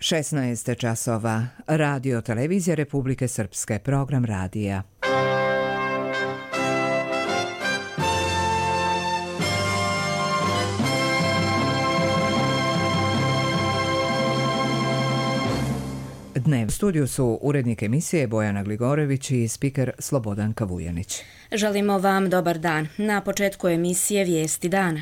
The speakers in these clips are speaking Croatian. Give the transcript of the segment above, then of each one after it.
16 časova. Radio Televizija Republike Srpske. Program radija. Dnev. U studiju su urednik emisije Bojana Gligorević i spiker Slobodan Kavujanić. Želimo vam dobar dan. Na početku emisije Vijesti dana.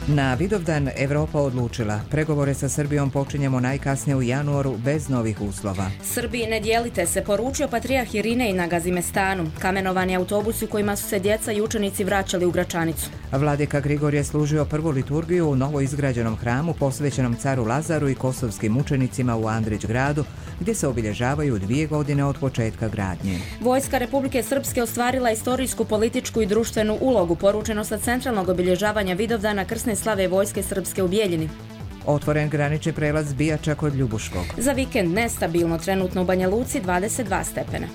Na Vidovdan Evropa odlučila. Pregovore sa Srbijom počinjemo najkasnije u januaru bez novih uslova. Srbiji ne dijelite se, poručio patrijarh Irinej na Gazimestanu. Kamenovani autobusi u kojima su se djeca i učenici vraćali u Gračanicu. Vladika Grigor je služio prvu liturgiju u novo izgrađenom hramu posvećenom caru Lazaru i kosovskim učenicima u Andrić gradu, gdje se obilježavaju 2 godine od početka gradnje. Vojska Republike Srpske ostvarila istorijsku, političku i društvenu ulogu, poručeno sa centralnog obilježavanja Vidovdana krsne slave Vojske Srpske u Bijeljini. Otvoren granični prelaz Bijača kod Ljubuškog. Za vikend nestabilno, trenutno u Banja Luci 22 stepena.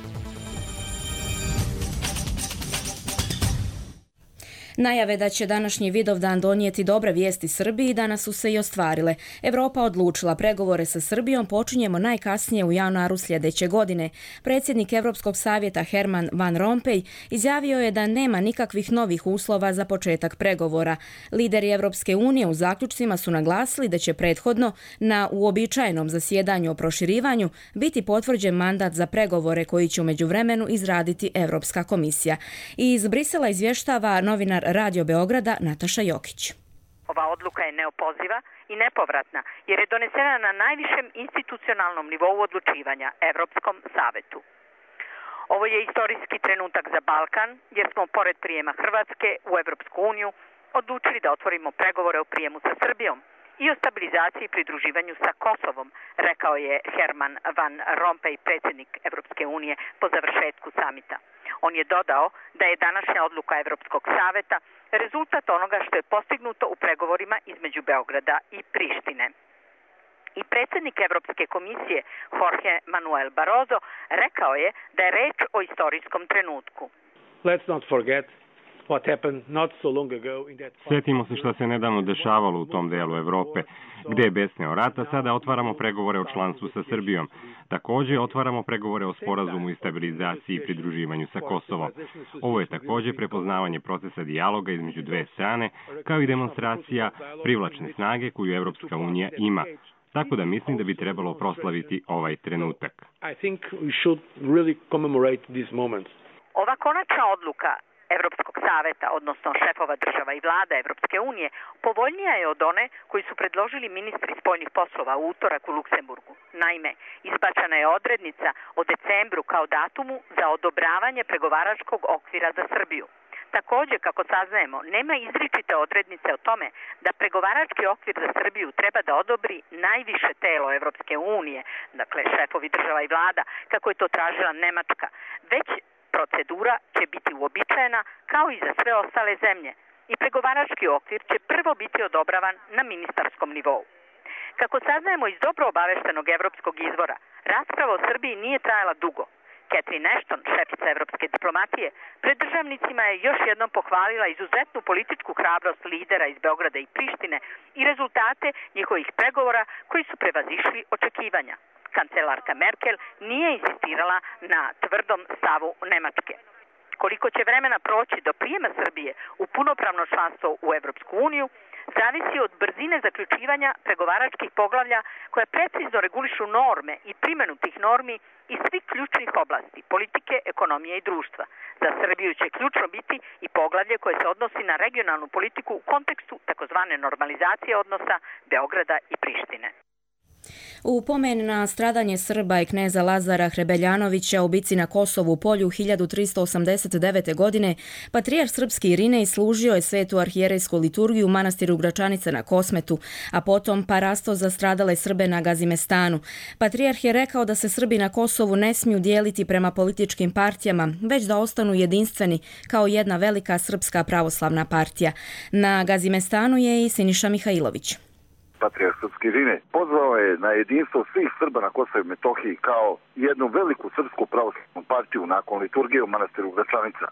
Najave da će današnji Vidovdan donijeti dobre vijesti Srbiji danas su se i ostvarile. Evropa odlučila, pregovore sa Srbijom počinjemo najkasnije u januaru sljedeće godine. Predsjednik Europskog savjeta Herman Van Rompuy izjavio je da nema nikakvih novih uslova za početak pregovora. Lideri Europske unije u zaključcima su naglasili da će prethodno na uobičajenom zasjedanju o proširivanju biti potvrđen mandat za pregovore koji će u međuvremenu izraditi Europska komisija. I iz Brisela izvještava novinar Radio Beograda Nataša Jokić. Ova odluka je neopoziva i nepovratna jer je donesena na najvišem institucionalnom nivou odlučivanja, Europskom savetu. Ovo je istorijski trenutak za Balkan jer smo pored prijema Hrvatske u Europsku uniju odlučili da otvorimo pregovore o prijemu sa Srbijom i o stabilizaciji i pridruživanju sa Kosovom, rekao je Herman Van Rompuy, predsjednik Europske unije, po završetku samita. On je dodao da je današnja odluka Europskog saveta rezultat onoga što je postignuto u pregovorima između Beograda i Prištine. I predsjednik Europske komisije Jorge Manuel Barroso rekao je da je reč o istorijskom trenutku. Let's not forget what happened not so long ago in that. Sjetimo se što se nedavno dešavalo u tom delu Evrope, gdje je besneo rata, sada otvaramo pregovore o članstvu sa Srbijom. Također otvaramo pregovore o sporazumu i stabilizaciji i pridruživanju sa Kosovom. Ovo je također prepoznavanje procesa dijaloga između dve strane, kao i demonstracija privlačne snage koju Evropska unija ima. Tako da mislim da bi trebalo proslaviti ovaj trenutak. I think we should really commemorate this moment. Ova konačna odluka Europskog saveta, odnosno šefova država i vlada Europske unije, povoljnija je od one koji su predložili ministri spoljnih poslova u utorak u Luksemburgu. Naime, izbačena je odrednica o decembru kao datumu za odobravanje pregovaračkog okvira za Srbiju. Također, kako saznajemo, nema izričite odrednice o tome da pregovarački okvir za Srbiju treba da odobri najviše telo Europske unije, dakle šefovi država i vlada, kako je to tražila Nemačka, već procedura će biti uobičajena kao i za sve ostale zemlje i pregovarački okvir će prvo biti odobravan na ministarskom nivou. Kako saznajemo iz dobro obaveštenog evropskog izvora, rasprava o Srbiji nije trajala dugo. Catherine Ashton, šefica evropske diplomatije, pred državnicima je još jednom pohvalila izuzetnu političku hrabrost lidera iz Beograda i Prištine i rezultate njihovih pregovora koji su prevazišli očekivanja. Kancelarka Merkel nije insistirala na tvrdom stavu Nemačke. Koliko će vremena proći do prijema Srbije u punopravno članstvo u Europsku uniju, zavisi od brzine zaključivanja pregovaračkih poglavlja koja precizno regulišu norme i primjenu tih normi iz svih ključnih oblasti, politike, ekonomije i društva. Za Srbiju će ključno biti i poglavlje koje se odnosi na regionalnu politiku u kontekstu takozvane normalizacije odnosa Beograda i Prištine. U pomen na stradanje Srba i kneza Lazara Hrebeljanovića u bici na Kosovu polju 1389. godine, patrijarh srpski Irinej služio je svetu arhijerejsku liturgiju u manastiru Gračanica na Kosmetu, a potom parasto za stradale Srbe na Gazimestanu. Patrijarh je rekao da se Srbi na Kosovu ne smiju dijeliti prema političkim partijama, već da ostanu jedinstveni kao jedna velika srpska pravoslavna partija. Na Gazimestanu je i Siniša Mihajlović. Patrijarh srpski Irinej pozvao je na jedinstvo svih Srba na Kosovu i Metohiji kao jednu veliku srpsku pravoslavnu partiju nakon liturgije u manastiru Gračanica.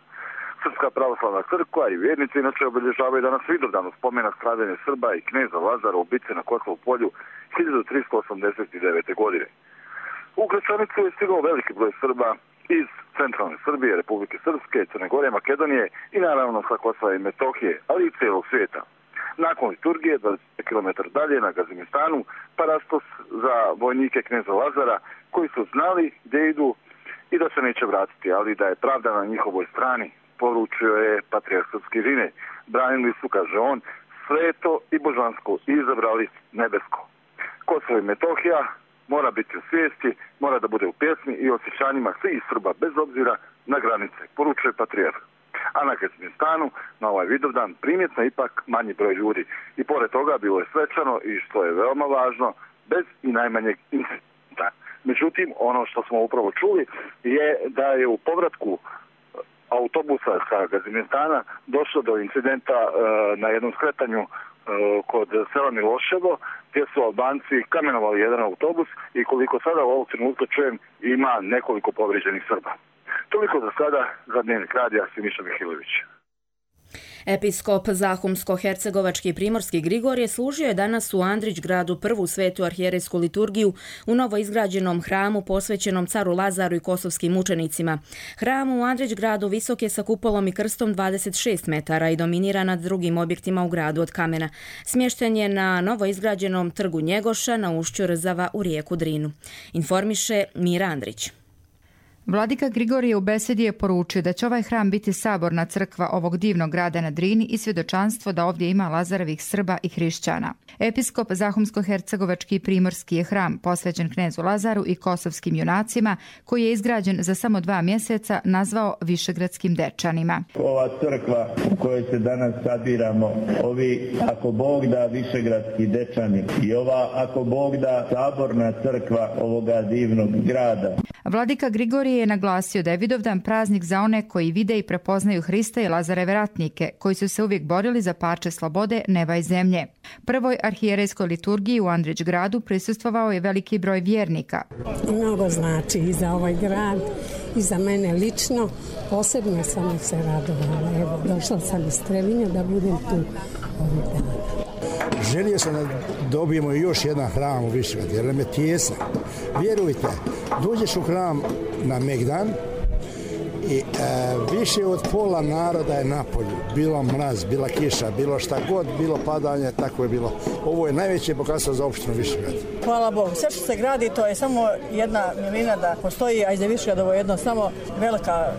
Srpska pravoslavna crkva i vjernici inače obilježavaju danas Vidovdan u spomen na stradanje Srba i kneza Lazara u bitci na Kosovu polju 1389. godine. U Gračanicu je stigao veliki broj Srba iz centralne Srbije, Republike Srpske, Crne Gore, Makedonije i naravno sa Kosova i Metohije, ali i cijelog svijeta. Nakon liturgije, 20 km dalje na Gazimistanu, parastos za vojnike kneza Lazara koji su znali gdje idu i da se neće vratiti, ali da je pravda na njihovoj strani, poručio je patrijarh srpske Rine. Branili su, kaže on, sveto i božansko i izabrali nebesko. Kosovo i Metohija mora biti u svijesti, mora da bude u pjesmi i osjećanjima svih Srba bez obzira na granice, poručuje patrijarh. A na Gazimistanu, na ovaj Vidovdan, primjetno ipak manji broj ljudi. I pored toga bilo je svečano i što je veoma važno, bez i najmanjeg incidenta. Međutim, ono što smo upravo čuli je da je u povratku autobusa sa Gazimistana došlo do incidenta na jednom skretanju kod sela Miloševo, gdje su Albanci kamenovali jedan autobus i koliko sada u ovog trenutka čujem ima nekoliko povrijeđenih Srba. Toliko za sada, za Dnevnik radija, Siniša Mihilović. Episkop Zahumsko-hercegovački primorski Grigorije služio je danas u Andrićgradu prvu svetu arhijerejsku liturgiju u novoizgrađenom hramu posvećenom caru Lazaru i kosovskim mučenicima. Hram u Andrićgradu visok je sa kupolom i krstom 26 metara i dominira nad drugim objektima u gradu od kamena. Smješten je na novoizgrađenom trgu Njegoša na ušću Rzava u rijeku Drinu. Informiše Mira Andrić. Vladika Grigorije u besedi je poručio da će ovaj hram biti saborna crkva ovog divnog grada na Drini i svjedočanstvo da ovdje ima Lazarevih Srba i hrišćana. Episkop Zahumsko-hercegovački i primorski je hram posvećen knezu Lazaru i kosovskim junacima, koji je izgrađen za samo 2 mjeseca, nazvao Višegradskim Dečanima. Ova crkva u kojoj se danas sabiramo, ovi ako Bog da Višegradski Dečani i ova ako Bog da saborna crkva ovoga divnog grada. Vladika Grigorije je naglasio da je Vidovdan praznik za one koji vide i prepoznaju Hrista i Lazareve ratnike, koji su se uvijek borili za parče slobode, neba i zemlje. Prvoj arhijerejskoj liturgiji u Andrićgradu prisustvovao je veliki broj vjernika. Mnogo znači i za ovaj grad i za mene lično. Posebno sam se radovala. Evo, došla sam iz Trebinja da budem tu ovih dana. Želio sam da dobijemo još jedan hram u Višegradu, jer nam je tijesan. Vjerujte, dođeš u hram na Megdan i više od pola naroda je na polju. Bilo mraz, bila kiša, bilo šta god, bilo padanje, tako je bilo. Ovo je najveće bogatstvo za opštinu Višegrad. Hvala Bogu. Sve što se gradi, to je samo jedna milina da postoji, a iz Višegradovo jedno samo velika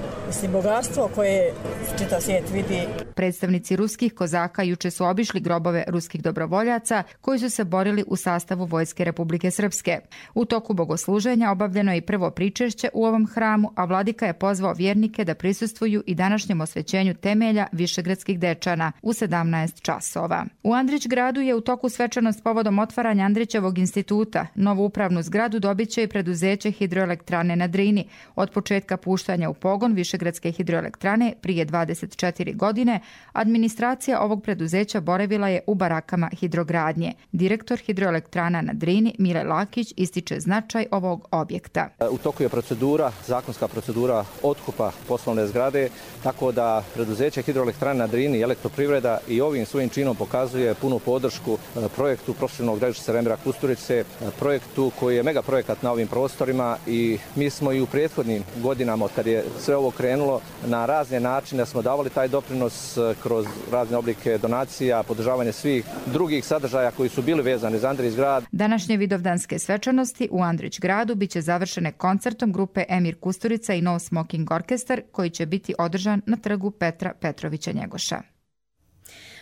bogatstvo koje čitav svijet vidi. Predstavnici ruskih kozaka juče su obišli grobove ruskih dobrovoljaca koji su se borili u sastavu Vojske Republike Srpske. U toku bogosluženja obavljeno je i prvo pričešće u ovom hramu, a vladika je pozvao vjernike da prisustvuju i današnjem osvećenju temelja Višegradskih Dečana u 17 časova. U Andrićgradu je u toku svečanost povodom otvaranja Andrićevog instituta. Novu upravnu zgradu dobit će i preduzeće Hidroelektrane na Drini. Od početka puštanja u pogon Višegradske hidroelektrane prije 24 godine, administracija ovog preduzeća boravila je u barakama hidrogradnje. Direktor Hidroelektrana na Drini, Mile Lakić, ističe značaj ovog objekta. U toku je procedura, zakonska procedura otkupa poslovne zgrade, tako da preduzeće Hidroelektrane na Drini i Elektroprivreda i ovim svojim činom pokazuje punu podršku projektu profesionalnog gradilišta Remira Kusturice, projektu koji je mega projekat na ovim prostorima i mi smo i u prethodnim godinama od kad je sve ovo krenulo na razne načine smo davali taj doprinos kroz razne oblike donacija, podržavanje svih drugih sadržaja koji su bili vezani za Andrićgrad. Današnje vidovdanske svečanosti u Andrićgradu biće završene koncertom grupe Emir Kusturica i No Smoking Orkestar koji će biti održan na trgu Petra Petrovića Njegoša.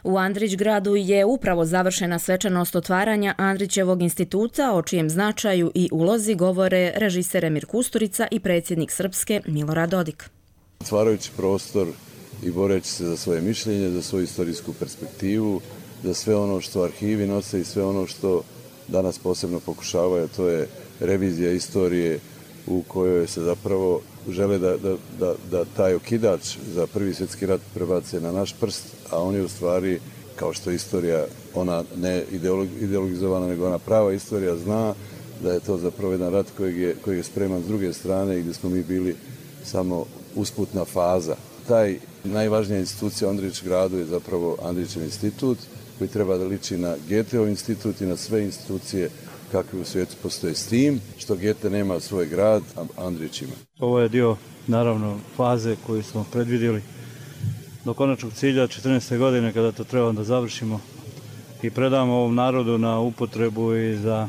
U Andrićgradu je upravo završena svečanost otvaranja Andrićevog instituta, o čijem značaju i ulozi govore režiser Emir Kusturica i predsjednik Srpske Milorad Dodik. Otvarajući prostor i boreći se za svoje mišljenje, za svoju istorijsku perspektivu, za sve ono što arhivi nose i sve ono što danas posebno pokušavaju, to je revizija istorije u kojoj se zapravo žele da taj okidač za Prvi svjetski rat prebace na naš prst, a on je u stvari, kao što je istorija, ona ne ideologizovana, nego ona prava istorija zna da je to zapravo jedan rat kojeg je spreman s druge strane i gdje smo mi bili samo usputna faza. Taj Najvažnija institucija u Andrić gradu je zapravo Andrićev institut, koji treba da liči na Goetheov institut i na sve institucije kakve u svijetu postoje, s tim što Goethe nema svoj grad, a Andrić ima. Ovo je dio, naravno, faze koju smo predvidjeli do konačnog cilja 14. godine, kada to treba da završimo i predamo ovom narodu na upotrebu i za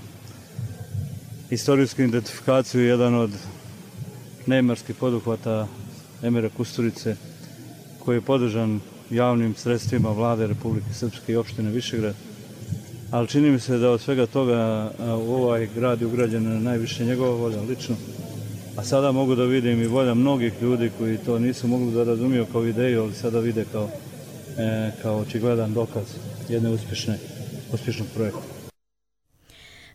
istorijsku identifikaciju, jedan od neimarskih poduhvata Emira Kusturice, koji je podržan javnim sredstvima Vlade Republike Srpske i opštine Višegrad. Ali čini mi se da od svega toga u ovaj grad je ugrađena najviše njegova volja lično. A sada mogu da vidim i volja mnogih ljudi koji to nisu mogli da razumiju kao ideju, ali sada vide kao očigledan dokaz jedne uspješnog projekta.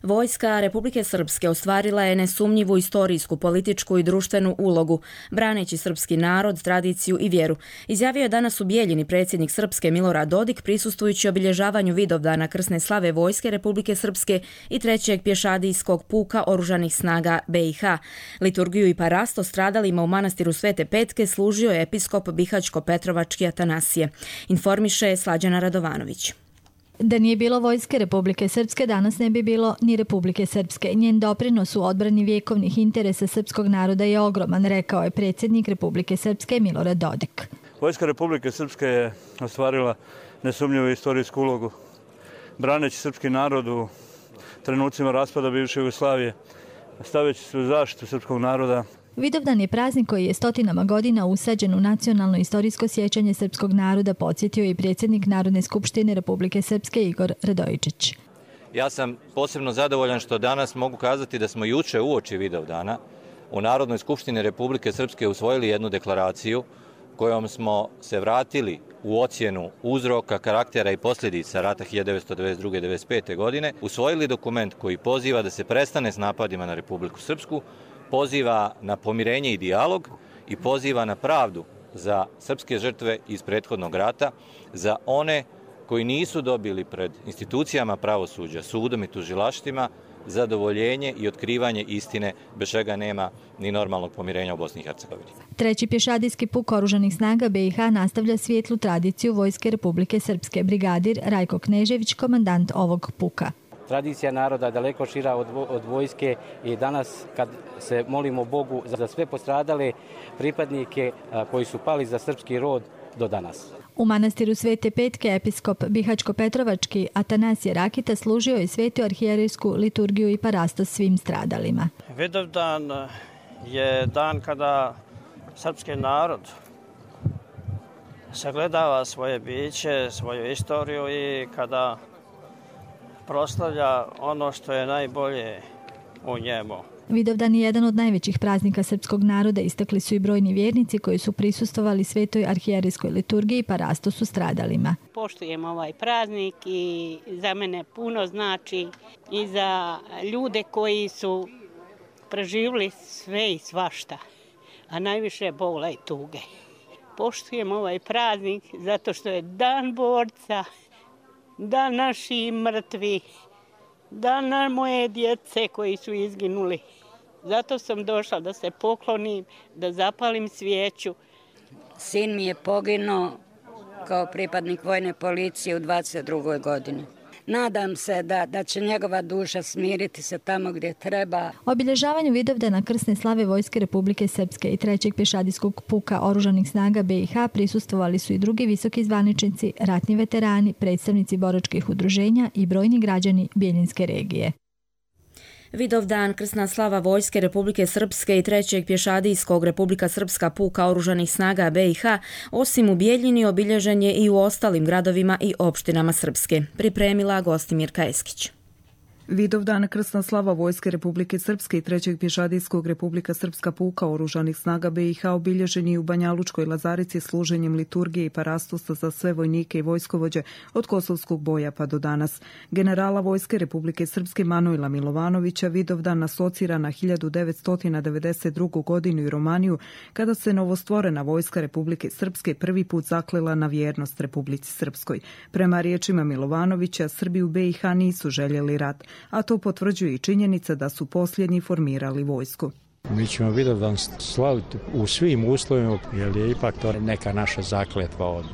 Vojska Republike Srpske ostvarila je nesumnjivu istorijsku, političku i društvenu ulogu, braneći srpski narod, tradiciju i vjeru. Izjavio je danas u Bijeljini predsjednik Srpske Milorad Dodik, prisustvujući obilježavanju Vidovdana krsne slave Vojske Republike Srpske i 3. pješadijskog puka Oružanih snaga BiH. Liturgiju i parasto stradalima u manastiru Svete Petke služio je episkop Bihaćko-Petrovački Atanasije. Informiše Slađana Radovanović. Da nije bilo Vojske Republike Srpske, danas ne bi bilo ni Republike Srpske. Njen doprinos u odbrani vjekovnih interesa srpskog naroda je ogroman, rekao je predsjednik Republike Srpske Milorad Dodik. Vojska Republike Srpske je ostvarila nesumnjivu istorijsku ulogu, braneći srpski narod u trenucima raspada bivše Jugoslavije, stavljajući se u zaštitu srpskog naroda. Vidovdan je praznik koji je stotinama godina usađen u nacionalno istorijsko sjećanje srpskog naroda, podsjetio i predsjednik Narodne skupštine Republike Srpske Igor Radojičić. Ja sam posebno zadovoljan što danas mogu kazati da smo juče uoči Vidovdana u Narodnoj skupštini Republike Srpske usvojili jednu deklaraciju kojom smo se vratili u ocjenu uzroka, karaktera i posljedica rata 1992-1995. godine, usvojili dokument koji poziva da se prestane s napadima na Republiku Srpsku, poziva na pomirenje i dijalog i poziva na pravdu za srpske žrtve iz prethodnog rata, za one koji nisu dobili pred institucijama pravosuđa, sudom i tužilaštvima zadovoljenje i otkrivanje istine, bez čega nema ni normalnog pomirenja u Bosni i Hercegovini. 3. pješadijski puk Oružanih snaga BiH nastavlja svijetlu tradiciju Vojske Republike Srpske. Brigadir Rajko Knežević, komandant ovog puka. Tradicija naroda daleko šira od vojske i danas kad se molimo Bogu za sve postradale pripadnike koji su pali za srpski rod do danas. U manastiru Svete Petke episkop Bihaćko-Petrovački Atanasije Rakita služio je svetu arhijerejsku liturgiju i parastos svim stradalima. Vidovdan je dan kada srpski narod sagledava svoje biće, svoju istoriju i kada proslavlja ono što je najbolje u njemu. Vidovdan je jedan od najvećih praznika srpskog naroda, istakli su i brojni vjernici koji su prisustvovali svetoj arhijerejskoj liturgiji i parastosu stradalima. Poštujem ovaj praznik i za mene puno znači i za ljude koji su preživjeli sve i svašta, a najviše bola i tuge. Poštujem ovaj praznik zato što je dan borca, dan naši mrtvi, dan moje djece koji su izginuli. Zato sam došla da se poklonim, da zapalim svijeću. Sin mi je poginuo kao pripadnik vojne policije u 22. godini. Nadam se da će njegova duša smiriti se tamo gdje treba. Obilježavanju Vidovdana krsne slave Vojske Republike Srpske i 3. pješadijskog puka Oružanih snaga BiH prisustvovali su i drugi visoki zvaničnici, ratni veterani, predstavnici boračkih udruženja i brojni građani Bijeljinske regije. Vidovdan krsna slava Vojske Republike Srpske i 3. pješadijskog Republika Srpska puka Oružanih snaga BiH osim u Bijeljini obilježen je i u ostalim gradovima i opštinama Srpske. Pripremila Gostimirka Eskić. Vidovdan krsna slava Vojske Republike Srpske i 3. pješadijskog Republika Srpska puka Oružanih snaga BiH obilježen je u Banjalučkoj Lazarici služenjem liturgije i parastosa za sve vojnike i vojskovođe od Kosovskog boja pa do danas. Generala Vojske Republike Srpske Manojla Milovanovića Vidovdan asocira na 1992. godinu i Romaniju, kada se novostvorena Vojska Republike Srpske prvi put zaklela na vjernost Republici Srpskoj. Prema riječima Milovanovića, Srbi u BiH nisu željeli rat, a to potvrđuje i činjenica da su posljednji formirali vojsku. Mi ćemo Vidovdan slaviti u svim uslovima, jer je ipak to neka naša zakletva od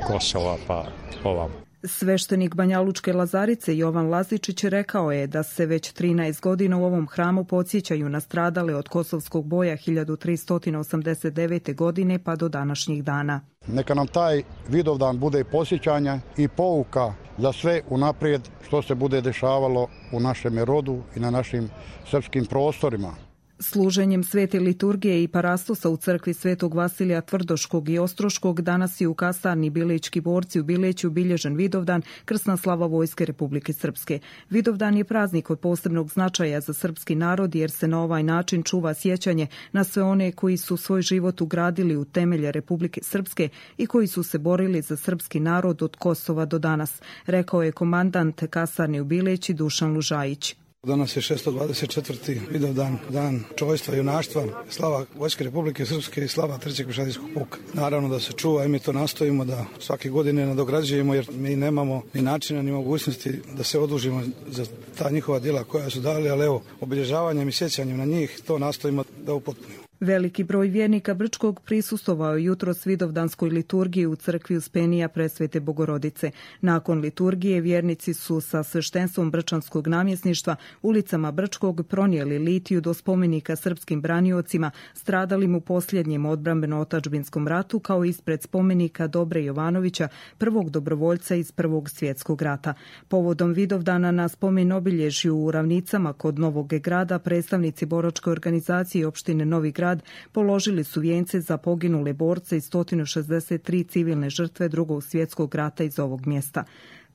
Kosova pa ovamo. Sveštenik Banjalučke Lazarice Jovan Lazičić rekao je da se već 13 godina u ovom hramu podsjećaju na stradale od kosovskog boja 1389. godine pa do današnjih dana. Neka nam taj Vidovdan bude podsjećanja i pouka za sve unaprijed što se bude dešavalo u našem rodu i na našim srpskim prostorima. Služenjem svete liturgije i parastosa u crkvi Svetog Vasilija Tvrdoškog i Ostroškog danas je u kasarni Bilečki borci u Bileću obilježen Vidovdan, krsna slava Vojske Republike Srpske. Vidovdan je praznik od posebnog značaja za srpski narod jer se na ovaj način čuva sjećanje na sve one koji su svoj život ugradili u temelje Republike Srpske i koji su se borili za srpski narod od Kosova do danas, rekao je komandant kasarne u Bileći Dušan Lužajić. Danas je 624. Vidovdan, dan čojstva i junaštva, slava Vojske Republike Srpske i slava Trećeg pješadijskog puka. Naravno da se čuva i mi to nastojimo da svake godine nadograđujemo jer mi nemamo ni načina ni mogućnosti da se odužimo za ta njihova djela koja su dali, ali evo, obilježavanjem i sjećanjem na njih to nastojimo da upotpunimo. Veliki broj vjernika Brčkog prisustvovao je jutros Vidovdanskoj liturgiji u crkvi Uspenija Presvete Bogorodice. Nakon liturgije vjernici su sa sveštenstvom Brčanskog namjesništva ulicama Brčkog pronijeli litiju do spomenika srpskim braniocima stradalim u posljednjem odbrambeno-otadžbinskom ratu kao ispred spomenika Dobre Jovanovića, prvog dobrovoljca iz Prvog svjetskog rata. Povodom Vidovdana na spomen obilježju u Ravnicama kod Novog grada predstavnici boračke organizacije opštine Novi Grad položili su vijence za poginule borce i 163 civilne žrtve Drugog svjetskog rata iz ovog mjesta.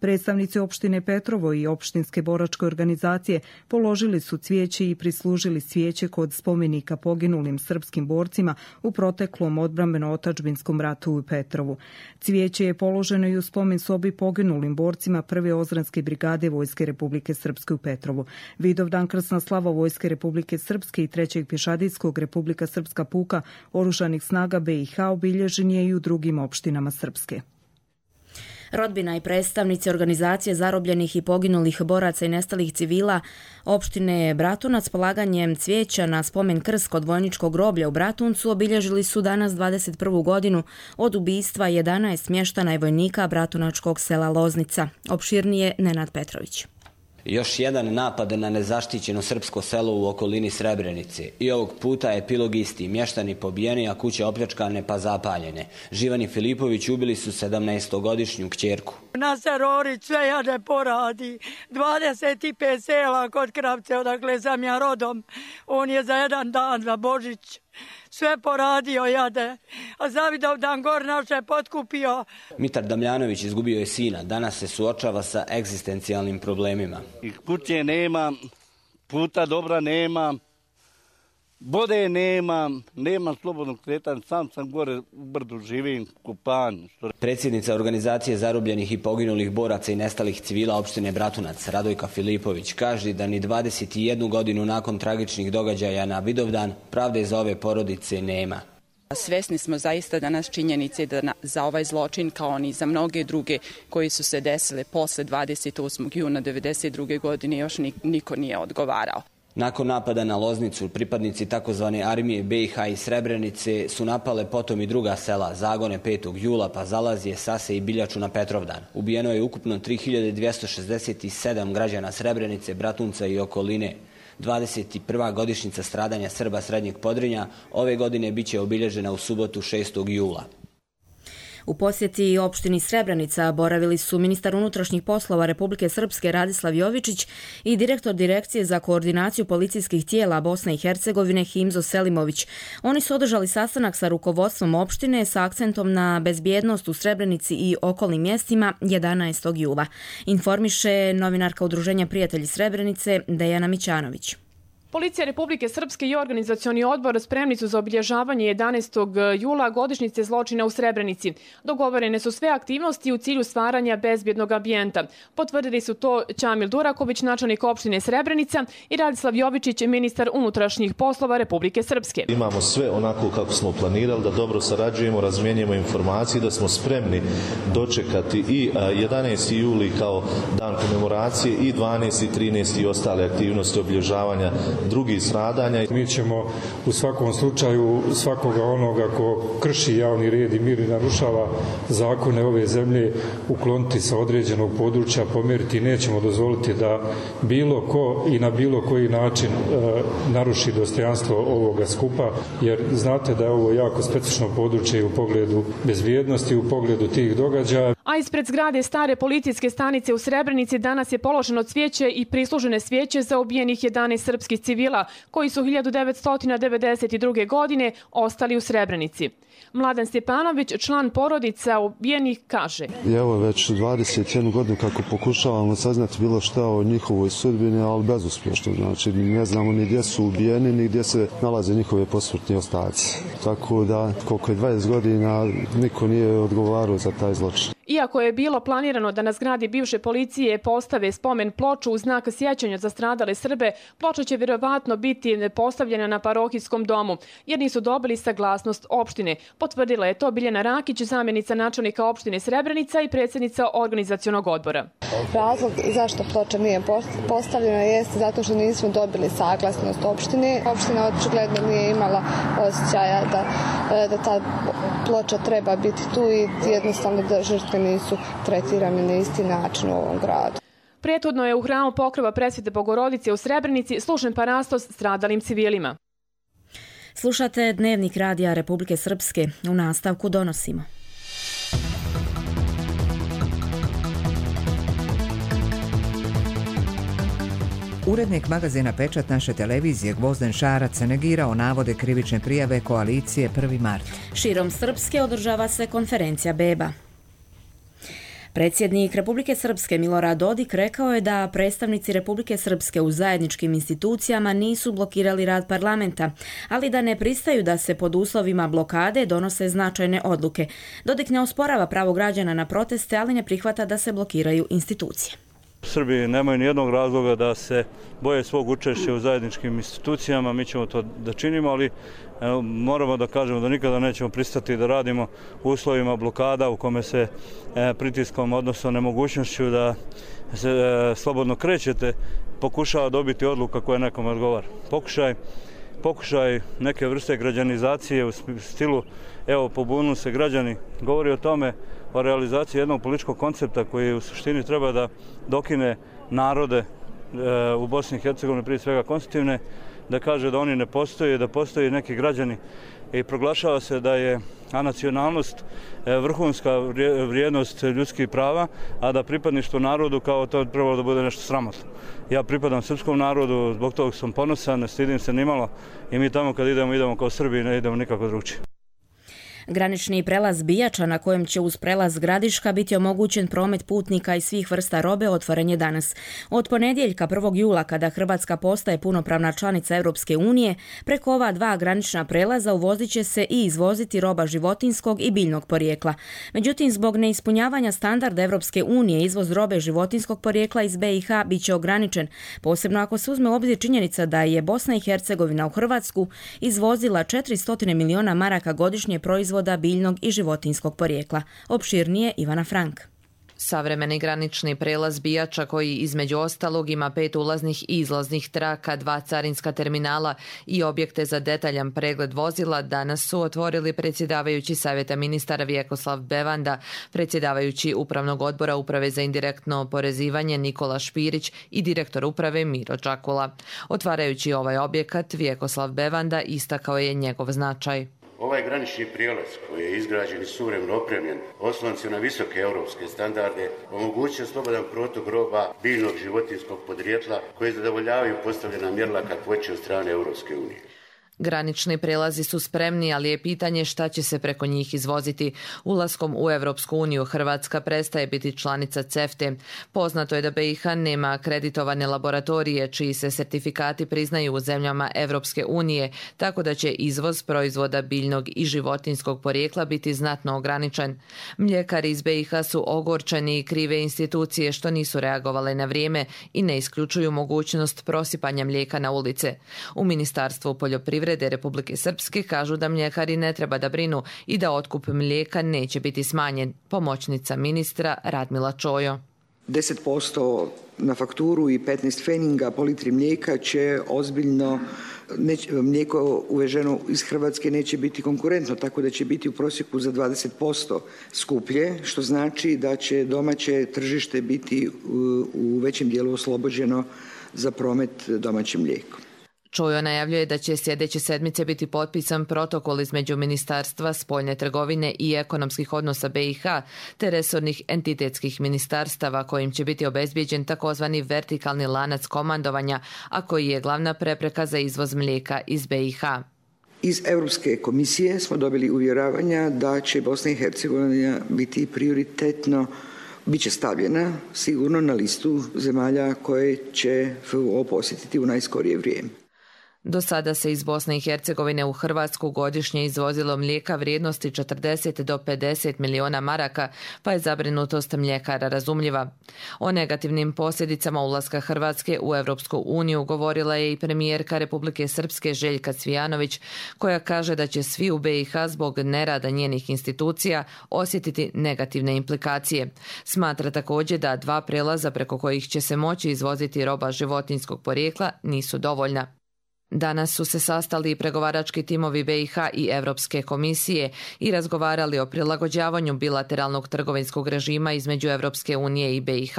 Predstavnici opštine Petrovo i opštinske boračke organizacije položili su cvijeće i prislužili cvijeće kod spomenika poginulim srpskim borcima u proteklom odbrambeno-otadžbinskom ratu u Petrovu. Cvijeće je položeno i u spomen sobi poginulim borcima Prve Ozranske brigade Vojske Republike Srpske u Petrovu. Vidovdan krsna slava Vojske Republike Srpske i Trećeg pješadijskog Republika Srpska puka Oružanih snaga BiH obilježen je i u drugim opštinama Srpske. Rodbina i predstavnici organizacije zarobljenih i poginulih boraca i nestalih civila opštine Bratunac polaganjem cvijeća na spomen krst kod vojničkog groblja u Bratuncu obilježili su danas 21. godinu od ubistva 11 mještana i vojnika bratunačkog sela Loznica. Opširnije Nenad Petrović. Još jedan napad na nezaštićeno srpsko selo u okolini Srebrenice. I ovog puta epilog isti. Mještani pobijeni, a kuće opljačkane pa zapaljene. Živan i Filipović ubili su 17-godišnju kćerku. Nasar Orić sve jade poradi. 25 sela kod Kravce, odakle sam ja rodom. On je za jedan dan, za Božić, sve poradio jade. A za Vidovdan gor naše potkupio. Mitar Damljanović izgubio je sina. Danas se suočava sa egzistencijalnim problemima. Kuće nema, puta dobra nema, vode nema, nema slobodnog kretanja, sam gore u brdu živim, kupan. Predsjednica organizacije zarobljenih i poginulih boraca i nestalih civila opštine Bratunac, Radojka Filipović, kaže da ni 21 godinu nakon tragičnih događaja na Vidovdan pravde za ove porodice nema. Svesni smo zaista danas činjenice da za ovaj zločin, kao ni za mnoge druge koji su se desile posle 28. juna 1992. godine, još niko nije odgovarao. Nakon napada na Loznicu, pripadnici takozvane armije BiH i Srebrenice su napale potom i druga sela, Zagone 5. jula, pa Zalazje, Sase i Biljaču na Petrovdan. Ubijeno je ukupno 3267 građana Srebrenice, Bratunca i okoline. 21. godišnjica stradanja Srba Srednjeg Podrinja ove godine biće obilježena u subotu 6. jula. U posjeti opštini Srebrenica boravili su ministar unutrašnjih poslova Republike Srpske Radislav Jovičić i direktor Direkcije za koordinaciju policijskih tijela Bosne i Hercegovine Himzo Selimović. Oni su održali sastanak sa rukovodstvom opštine sa akcentom na bezbjednost u Srebrenici i okolnim mjestima 11. jula. Informiše novinarka Udruženja Prijatelji Srebrenice Dejana Mićanović. Policija Republike Srpske i organizacioni odbor spremni su za obilježavanje 11. jula godišnjice zločina u Srebrenici. Dogovorene su sve aktivnosti u cilju stvaranja bezbjednog ambijenta. Potvrdili su to Ćamil Duraković, načelnik opštine Srebrenica, i Radislav Jovičić, ministar unutrašnjih poslova Republike Srpske. Imamo sve onako kako smo planirali, da dobro sarađujemo, razmjenjujemo informacije, da smo spremni dočekati i 11. juli kao dan komemoracije i 12. i 13. i ostale aktivnosti obilježavanja drugih stradanja. Mi ćemo u svakom slučaju svakoga onoga ko krši javni red i mir i narušava zakone ove zemlje ukloniti sa određenog područja, pomjeriti. Nećemo dozvoliti da bilo ko i na bilo koji način naruši dostojanstvo ovoga skupa, jer znate da je ovo jako specifično područje u pogledu bezbjednosti, u pogledu tih događaja. A ispred zgrade stare policijske stanice u Srebrenici danas je položeno cvijeće i prislužene svijeće za ubijenih 11 srpskih civila koji su 1992. godine ostali u Srebrenici. Mladen Stjepanović, član porodica ubijenih, kaže: Evo već 21 godinu kako pokušavamo saznati bilo šta o njihovoj sudbini, ali bezuspješno. Znači ne znamo ni gdje su ubijeni, ni gdje se nalaze njihove posmrtni ostaci. Tako da koliko je 20 godina niko nije odgovarao za taj zločin. Iako je bilo planirano da na zgradi bivše policije postave spomen ploču u znak sjećanja za stradale Srbe, ploča će vjerovatno biti postavljena na parohijskom domu, jer nisu dobili saglasnost opštine. Potvrdila je to Biljana Rakić, zamjenica načelnika opštine Srebrenica i predsjednica organizacionog odbora. Razlog zašto ploča nije postavljena jeste zato što nismo dobili saglasnost opštine. Opština očigledno nije imala osjećaja da ta ploča treba biti tu i jednostavno da žrtve nisu tretirane na isti način u ovom gradu. Prethodno je u hramu Pokrova Presvete Bogorodice u Srebrenici služen parastos stradalim civilima. Slušate Dnevnik radija Republike Srpske. U nastavku donosimo. Urednik magazina Pečat naše televizije Gvozden Šarac negirao navode krivične prijave koalicije 1. mart. Širom Srpske održava se konferencija beba. Predsjednik Republike Srpske Milorad Dodik rekao je da predstavnici Republike Srpske u zajedničkim institucijama nisu blokirali rad parlamenta, ali da ne pristaju da se pod uslovima blokade donose značajne odluke. Dodik ne osporava pravo građana na proteste, ali ne prihvata da se blokiraju institucije. Srbi nemaju nijednog razloga da se boje svog učešća u zajedničkim institucijama, mi ćemo to da činimo, ali moramo da kažemo da nikada nećemo pristati da radimo u uslovima blokada u kome se pritiskom, odnosno nemogućnošću da se slobodno krećete, pokušava dobiti odluka koja nekome odgovara. Pokušaj neke vrste građanizacije u stilu evo pobunu se građani, govori o tome, o realizaciji jednog političkog koncepta koji u suštini treba da dokine narode u Bosni i Hercegovini, prije svega konstitutivne, da kaže da oni ne postoje, da postoje neki građani i proglašava se da je nacionalnost vrhunska vrijednost ljudskih prava, a da pripadništvo narodu kao to trebalo da bude nešto sramotno. Ja pripadam srpskom narodu, zbog toga sam ponosan, ne stidim se nimalo i mi tamo kad idemo kao Srbi, ne idemo nikako drugčije. Granični prelaz Bijača, na kojem će uz prelaz Gradiška biti omogućen promet putnika i svih vrsta robe, otvoren je danas. Od ponedjeljka 1. jula, kada Hrvatska postaje punopravna članica Europske unije, preko ova dva granična prelaza uvozit će se i izvoziti roba životinjskog i biljnog porijekla. Međutim, zbog neispunjavanja standarda Europske unije, izvoz robe životinjskog porijekla iz BiH bit će ograničen, posebno ako se uzme u obzir činjenica da je Bosna i Hercegovina u Hrvatsku izvozila 400 miliona maraka godišnje proizvoda biljnog i životinjskog porijekla. Opširnije Ivana Frank. Savremeni granični prelaz Bijača, koji između ostalog ima 5 ulaznih i izlaznih traka, 2 carinska terminala i objekte za detaljan pregled vozila, danas su otvorili predsjedavajući Savjeta ministara Vjekoslav Bevanda, predsjedavajući Upravnog odbora Uprave za indirektno oporezivanje Nikola Špirić i direktor uprave Miro Čakula. Otvarajući ovaj objekat, Vjekoslav Bevanda istakao je njegov značaj. Ovaj granični prijelaz koji je izgrađen i suvremeno opremljen, osnovan se na visoke europske standarde, omogućuje slobodan protok roba biljnog životinjskog podrijetla koji zadovoljavaju postavljena mjerila kakvoće od strane Europske unije. Granični prelazi su spremni, ali je pitanje šta će se preko njih izvoziti. Ulaskom u Evropsku uniju Hrvatska prestaje biti članica CEFTA. Poznato je da BiH nema akreditovane laboratorije čiji se sertifikati priznaju u zemljama Evropske unije, tako da će izvoz proizvoda biljnog i životinjskog porijekla biti znatno ograničen. Mljekari iz BiH su ogorčeni i krive institucije što nisu reagovale na vrijeme i ne isključuju mogućnost prosipanja mlijeka na ulice. U Ministarstvu poljoprivrede Republike Srpske kažu da mljekari ne treba da brinu i da otkup mlijeka neće biti smanjen. Pomoćnica ministra Radmila Čojo. 10% na fakturu i 15 pfeninga po litri mlijeka će ozbiljno, mlijeko uveženo iz Hrvatske neće biti konkurentno, tako da će biti u prosjeku za 20% skuplje, što znači da će domaće tržište biti u većem dijelu oslobođeno za promet domaćim mlijekom. Čujo najavljuje da će sljedeće sedmice biti potpisan protokol između Ministarstva spoljne trgovine i ekonomskih odnosa BiH te resornih entitetskih ministarstava kojim će biti obezbijeđen takozvani vertikalni lanac komandovanja, a koji je glavna prepreka za izvoz mlijeka iz BiH. Iz Europske komisije smo dobili uvjeravanja da će Bosna i Hercegovina biti prioritetno, bit će stavljena sigurno na listu zemalja koje će FUO posjetiti u najskorije vrijeme. Do sada se iz Bosne i Hercegovine u Hrvatsku godišnje izvozilo mlijeka vrijednosti 40 do 50 milijuna maraka, pa je zabrinutost mljekara razumljiva. O negativnim posljedicama ulaska Hrvatske u Europsku uniju govorila je i premijerka Republike Srpske Željka Cvijanović, koja kaže da će svi u BiH zbog nerada njenih institucija osjetiti negativne implikacije. Smatra također da 2 prelaza preko kojih će se moći izvoziti roba životinjskog porijekla nisu dovoljna. Danas su se sastali i pregovarački timovi BiH i Europske komisije i razgovarali o prilagođavanju bilateralnog trgovinskog režima između Europske unije i BiH.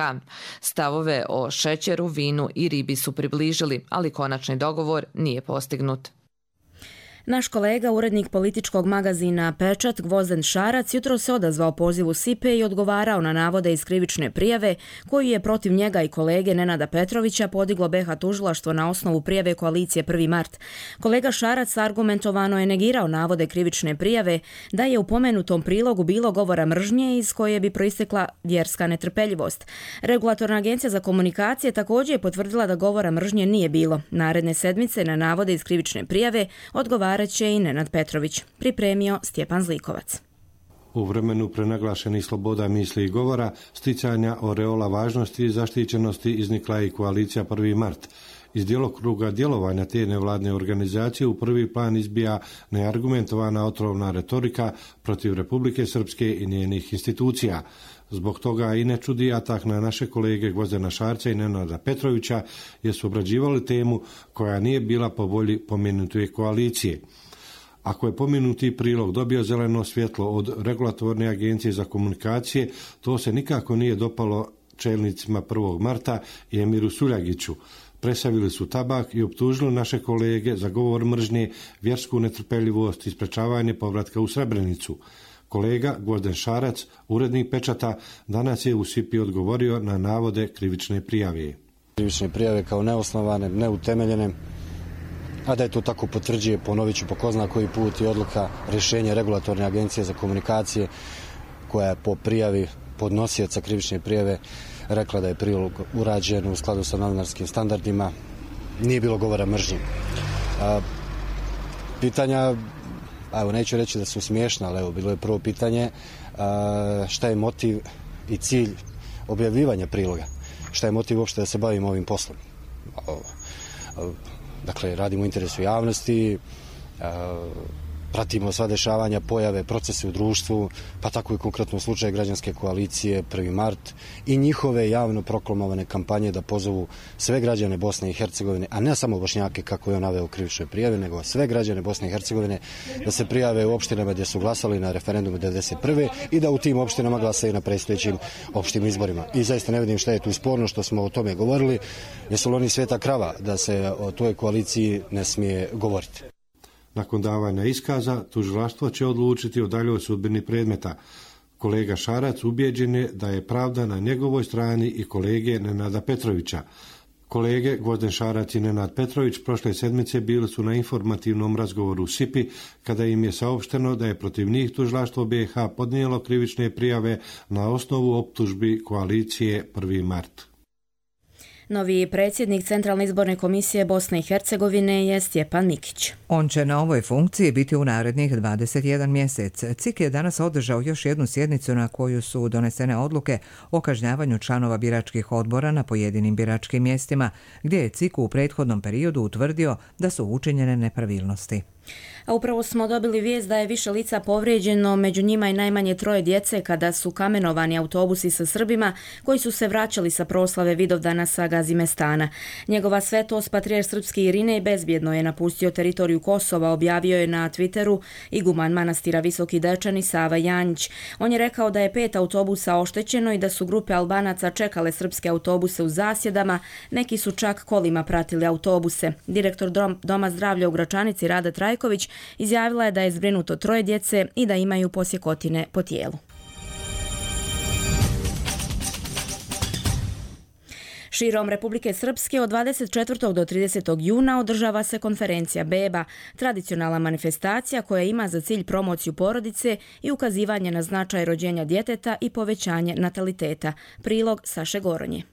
Stavove o šećeru, vinu i ribi su približili, ali konačni dogovor nije postignut. Naš kolega, urednik političkog magazina Pečat, Gvozden Šarac, jutro se odazvao pozivu SIPE i odgovarao na navode iz krivične prijave koju je protiv njega i kolege Nenada Petrovića podiglo BiH tužilaštvo na osnovu prijave koalicije 1. mart. Kolega Šarac argumentovano je negirao navode krivične prijave da je u pomenutom prilogu bilo govora mržnje iz koje bi proistekla vjerska netrpeljivost. Regulatorna agencija za komunikacije također je potvrdila da govora mržnje nije bilo. Naredne sedmice na navode iz krivične prijave odgovarao će i Nenad Petrović. Pripremio Stjepan Zlikovac. U vremenu prenaglašenih sloboda misli i govora, sticanja oreola važnosti i zaštićenosti iznikla je i koalicija 1. mart. Iz djelokruga djelovanja te nevladne organizacije u prvi plan izbija neargumentovana otrovna retorika protiv Republike Srpske i njenih institucija. Zbog toga i ne čudi atak na naše kolege Gvozdena Šarca i Nenada Petrovića, jer su obrađivali temu koja nije bila po volji pomenute koalicije. Ako je pomenuti prilog dobio zeleno svjetlo od Regulatorne agencije za komunikacije, to se nikako nije dopalo čelnicima 1. marta i Emiru Suljagiću. Presavili su tabak i optužili naše kolege za govor mržnje, vjersku netrpeljivost i sprečavanje povratka u Srebrenicu. Kolega Gvozden Šarac, urednik Pečata, danas je u SIPI odgovorio na navode krivične prijave. Krivične prijave kao neosnovane, neutemeljene, a da je to tako potvrđuje, ponovit ću po ko zna koji put, i odluka rješenja Regulatorne agencije za komunikacije koja je po prijavi podnosioca krivične prijave rekla da je prilog urađen u skladu sa novinarskim standardima. Nije bilo govora mržnje. Pitanja, evo neću reći da su smiješna, ali evo bilo je prvo pitanje šta je motiv i cilj objavljivanja priloga. Šta je motiv uopšte da se bavimo ovim poslom. Dakle, radimo u interesu javnosti, pratimo sva dešavanja, pojave, procese u društvu, pa tako i konkretno u slučaju građanske koalicije 1. mart i njihove javno proklamovane kampanje da pozovu sve građane Bosne i Hercegovine, a ne samo Bošnjake kako je on naveo u krivičnoj prijavi, nego sve građane Bosne i Hercegovine da se prijave u opštinama gdje su glasali na referendumu 1991. i da u tim opštinama glasaju na predstojećim opštim izborima. I zaista ne vidim šta je tu sporno što smo o tome govorili. Jesu li oni sveta krava da se o toj koaliciji ne smije govoriti? Nakon davanja iskaza, tužilaštvo će odlučiti o daljoj sudbini predmeta. Kolega Šarac ubijeđen je da je pravda na njegovoj strani i kolege Nenada Petrovića. Kolege Gvozden Šarac i Nenad Petrović prošle sedmice bili su na informativnom razgovoru u SIPI kada im je saopšteno da je protiv njih tužilaštvo BiH podnijelo krivične prijave na osnovu optužbi koalicije 1. mart. Novi predsjednik Centralne izborne komisije Bosne i Hercegovine je Stjepan Mikić. On će na ovoj funkciji biti u narednih 21 mjesec. CIK je danas održao još jednu sjednicu na koju su donesene odluke o kažnjavanju članova biračkih odbora na pojedinim biračkim mjestima, gdje je CIK u prethodnom periodu utvrdio da su učinjene nepravilnosti. A upravo smo dobili vijest da je više lica povrijeđeno, među njima i najmanje 3 djece kada su kamenovani autobusi sa Srbima koji su se vraćali sa proslave Vidovdana sa Gazimestana. Njegova svetost patrijarh srpski Irinej bezbjedno je napustio teritoriju Kosova, objavio je na Twitteru iguman manastira Visoki Dečani Sava Janjić. On je rekao da je 5 autobusa oštećeno i da su grupe Albanaca čekale srpske autobuse u zasjedama, neki su čak kolima pratili autobuse. Direktor Doma zdravlja u Gračanici Rada Trajković izjavila je da je zbrinuto 3 djece i da imaju posjekotine po tijelu. Širom Republike Srpske od 24. do 30. juna održava se konferencija Beba, tradicionalna manifestacija koja ima za cilj promociju porodice i ukazivanje na značaj rođenja djeteta i povećanje nataliteta. Prilog Saše Goronje.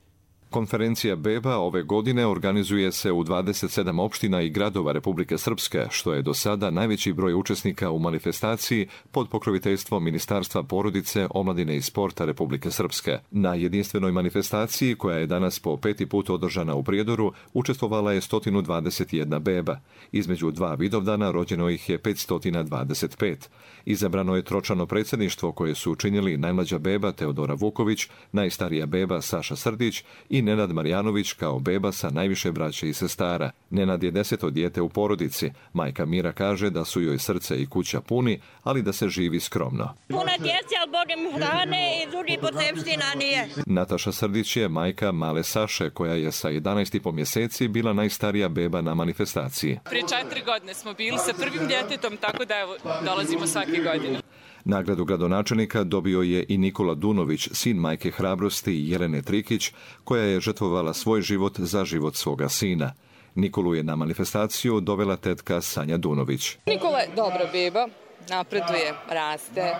Konferencija Beba ove godine organizuje se u 27 opština i gradova Republike Srpske, što je do sada najveći broj učesnika u manifestaciji pod pokroviteljstvom Ministarstva porodice, omladine i sporta Republike Srpske. Na jedinstvenoj manifestaciji, koja je danas po 5. put održana u Prijedoru, učestvovala je 121 beba. Između 2 Vidovdana rođeno ih je 525. Izabrano je tročlano predsjedništvo koje su učinili najmlađa beba Teodora Vuković, najstarija beba Saša Srdić i Nenad Marjanović kao beba sa najviše braće i sestara. Nenad je 10. dijete u porodici. Majka Mira kaže da su joj srce i kuća puni, ali da se živi skromno. Puna djece, ali Bogem hrane i drugih potrepština nije. Nataša Srdić je majka male Saše, koja je sa 11,5 mjeseci bila najstarija beba na manifestaciji. Prije 4 godine smo bili sa prvim djetetom, tako da evo, dolazimo svake godine. Nagradu gradonačelnika dobio je i Nikola Dunović, sin majke hrabrosti Jelene Trikić, koja je žrtvovala svoj život za život svoga sina. Nikolu je na manifestaciju dovela tetka Sanja Dunović. Nikola je dobra beba, napreduje, raste,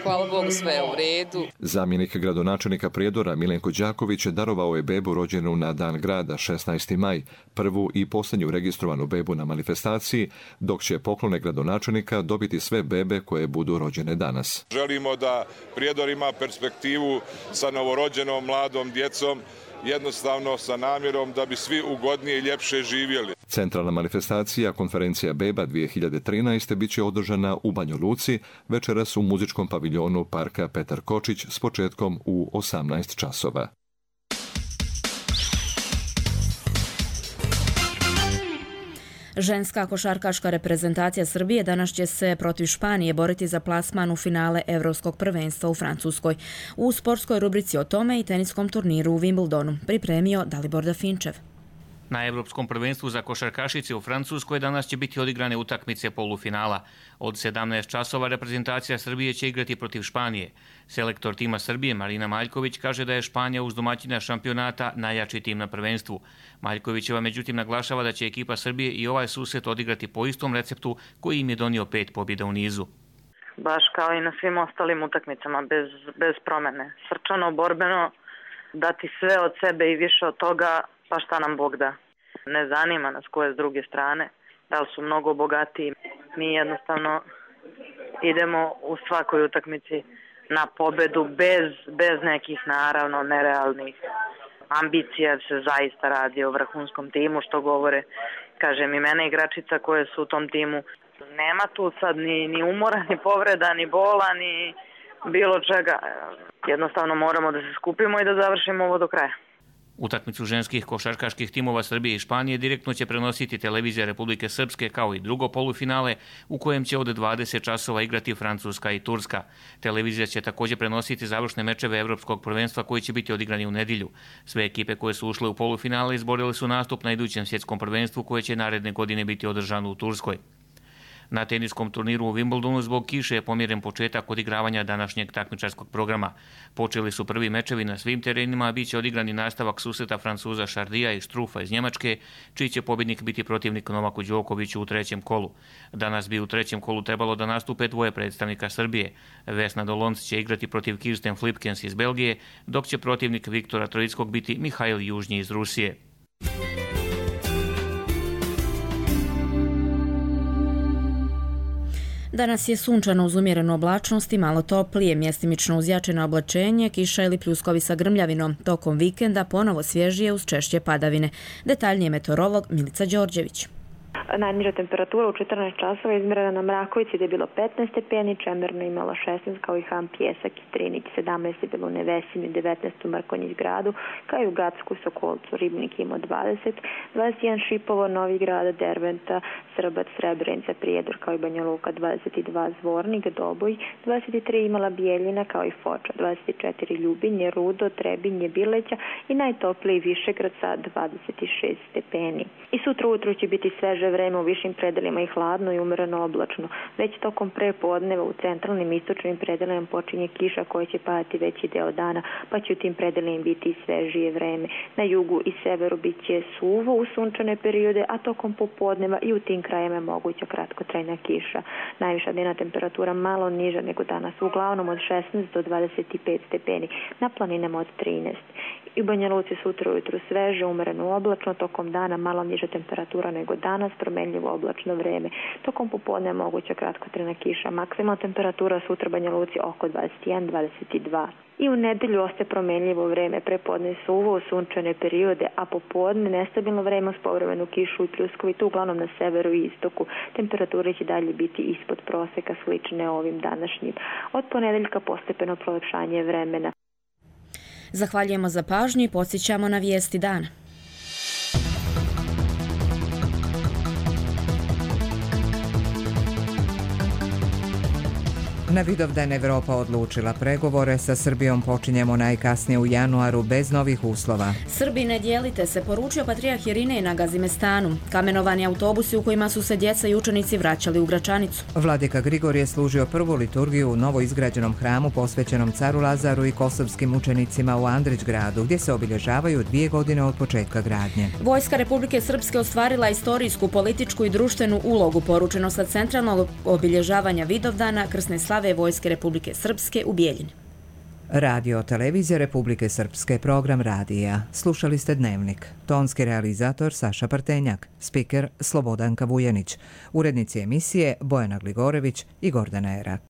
hvala Bogu sve je u redu. Zamjenik gradonačelnika Prijedora Milenko Đaković darovao je bebu rođenu na dan grada 16. maj, prvu i posljednju registrovanu bebu na manifestaciji, dok će poklone gradonačelnika dobiti sve bebe koje budu rođene danas. Želimo da Prijedor ima perspektivu sa novorođenom mladom djecom, jednostavno sa namjerom da bi svi ugodnije i ljepše živjeli. Centralna manifestacija konferencija Beba 2013. bit će održana u Banja Luci, večeras u muzičkom paviljonu Parka Petar Kočić s početkom u 18 časova. Ženska košarkaška reprezentacija Srbije danas će se protiv Španije boriti za plasman u finale Evropskog prvenstva u Francuskoj. U sportskoj rubrici o tome i teniskom turniru u Wimbledonu pripremio Dalibor Dafinčev. Na Evropskom prvenstvu za košarkašice u Francuskoj danas će biti odigrane utakmice polufinala. Od 17 časova reprezentacija Srbije će igrati protiv Španije. Selektor tima Srbije Marina Maljković kaže da je Španija uz domaćina šampionata najjači tim na prvenstvu. Maljkovićeva međutim naglašava da će ekipa Srbije i ovaj susret odigrati po istom receptu koji im je donio 5 pobjeda u nizu. Baš kao i na svim ostalim utakmicama, bez promene. Srčano, borbeno, dati sve od sebe i više od toga, pa šta nam Bog da. Ne zanima nas ko je s druge strane, da li su mnogo bogatiji. Mi jednostavno idemo u svakoj utakmici na pobedu bez nekih naravno nerealnih ambicija. Se zaista radi o vrhunskom timu, što govore, kažem, imena igračica koje su u tom timu. Nema tu sad ni umora, ni povreda, ni bola, ni bilo čega. Jednostavno moramo da se skupimo i da završimo ovo do kraja. Utakmicu ženskih košarkaških timova Srbije i Španije direktno će prenositi televizija Republike Srpske kao i drugo polufinale u kojem će od 20 časova igrati Francuska i Turska. Televizija će također prenositi završne mečeve Evropskog prvenstva koji će biti odigrani u nedjelju. Sve ekipe koje su ušle u polufinale izborile su nastup na idućem svjetskom prvenstvu koje će naredne godine biti održano u Turskoj. Na teniskom turniru u Wimbledonu zbog kiše je pomjeren početak odigravanja današnjeg takmičarskog programa. Počeli su prvi mečevi na svim terenima, a bit će odigrani nastavak susreta Francuza Šardija i Štrufa iz Njemačke, čiji će pobjednik biti protivnik Novaku Đokoviću u 3. kolu. Danas bi u 3. kolu trebalo da nastupe dvoje predstavnika Srbije. Vesna Dolonc će igrati protiv Kirsten Flipkens iz Belgije, dok će protivnik Viktora Trojickog biti Mihajl Južnji iz Rusije. Danas je sunčano uz umjerenu oblačnost i malo toplije, mjestimično uz jačeno oblačenje, kiša ili pljuskovi sa grmljavinom. Tokom vikenda ponovo svježije uz češće padavine. Detaljnije meteorolog Milica Đorđević. Najniža temperatura u 14 časova izmjerena na Mrakovici gdje je bilo 15 stepeni, Čemerno imalo 16, kao i Ham, Pjesak i Strinić 17 je bilo u Nevesimi, 19 u Mrkonjić gradu, kao i u Gacku, Sokolcu, Ribnik imao 20, 21 Šipovo, Novi Grad, Derventa, Srbac, Srebrenica, Prijedor, kao i Banja Luka, 22 Zvornik, Doboj, 23 imala Bijeljina, kao i Foča, 24 Ljubinje, Rudo, Trebinje, Bileća i najtopliji Višegrad sa 26 stepeni. I sutra ujutro će biti sveže vreme u višim predelima i hladno i umjereno oblačno. Već tokom prepodneva u centralnim i istočnim predelima počinje kiša koja će padati veći deo dana, pa će u tim predelima biti svežije vreme. Na jugu i severu bit će suvo u sunčane periode, a tokom popodneva i u tim krajevima je moguća kratkotrajna kiša. Najviša dnevna temperatura malo niža nego danas, uglavnom od 16 do 25 stepeni, na planinama od 13. I u Banja Luci sutra ujutru sveže, umjereno oblačno, tokom dana malo niža temperatura nego danas, promjenljivo oblačno vreme. Tokom popodne moguća kratkotrajna kiša, maksimalna temperatura sutra u Banja Luci oko 21-22. I u nedelju ostaje promjenljivo vreme, prepodne suvo u sunčane periode, a popodne nestabilno vreme uz povremenu kišu i pljuskovitu, uglavnom na severu i istoku. Temperature će dalje biti ispod proseka, slične ovim današnjim. Od ponedeljka postepeno prolepšanje vremena. Zahvaljujemo za pažnju i podsjećamo na vijesti dana. Na Vidovdan Evropa odlučila pregovore sa Srbijom počinjemo najkasnije u januaru bez novih uslova. Srbi, ne dijelite se, poručio patrijarh Irinej na Gazimestanu. Kamenovani autobusi u kojima su se djeca i učenici vraćali u Gračanicu. Vladika Grigor je služio prvu liturgiju u novo izgrađenom hramu posvećenom caru Lazaru i kosovskim učenicima u Andrićgradu, gdje se obilježavaju 2 godine od početka gradnje. Vojska Republike Srpske ostvarila istorijsku, političku i društvenu ulogu, poručeno sa centralnog obilježavanja Vidovdana krsne slave Vojske Republike Srpske u Bijeljini. Radio televizija Republike Srpske, program radija. Slušali ste Dnevnik. Tonski realizator Saša Partenjak, spiker Slobodanka Vujanić, urednici emisije Bojana Gligorević i Gordana Erak.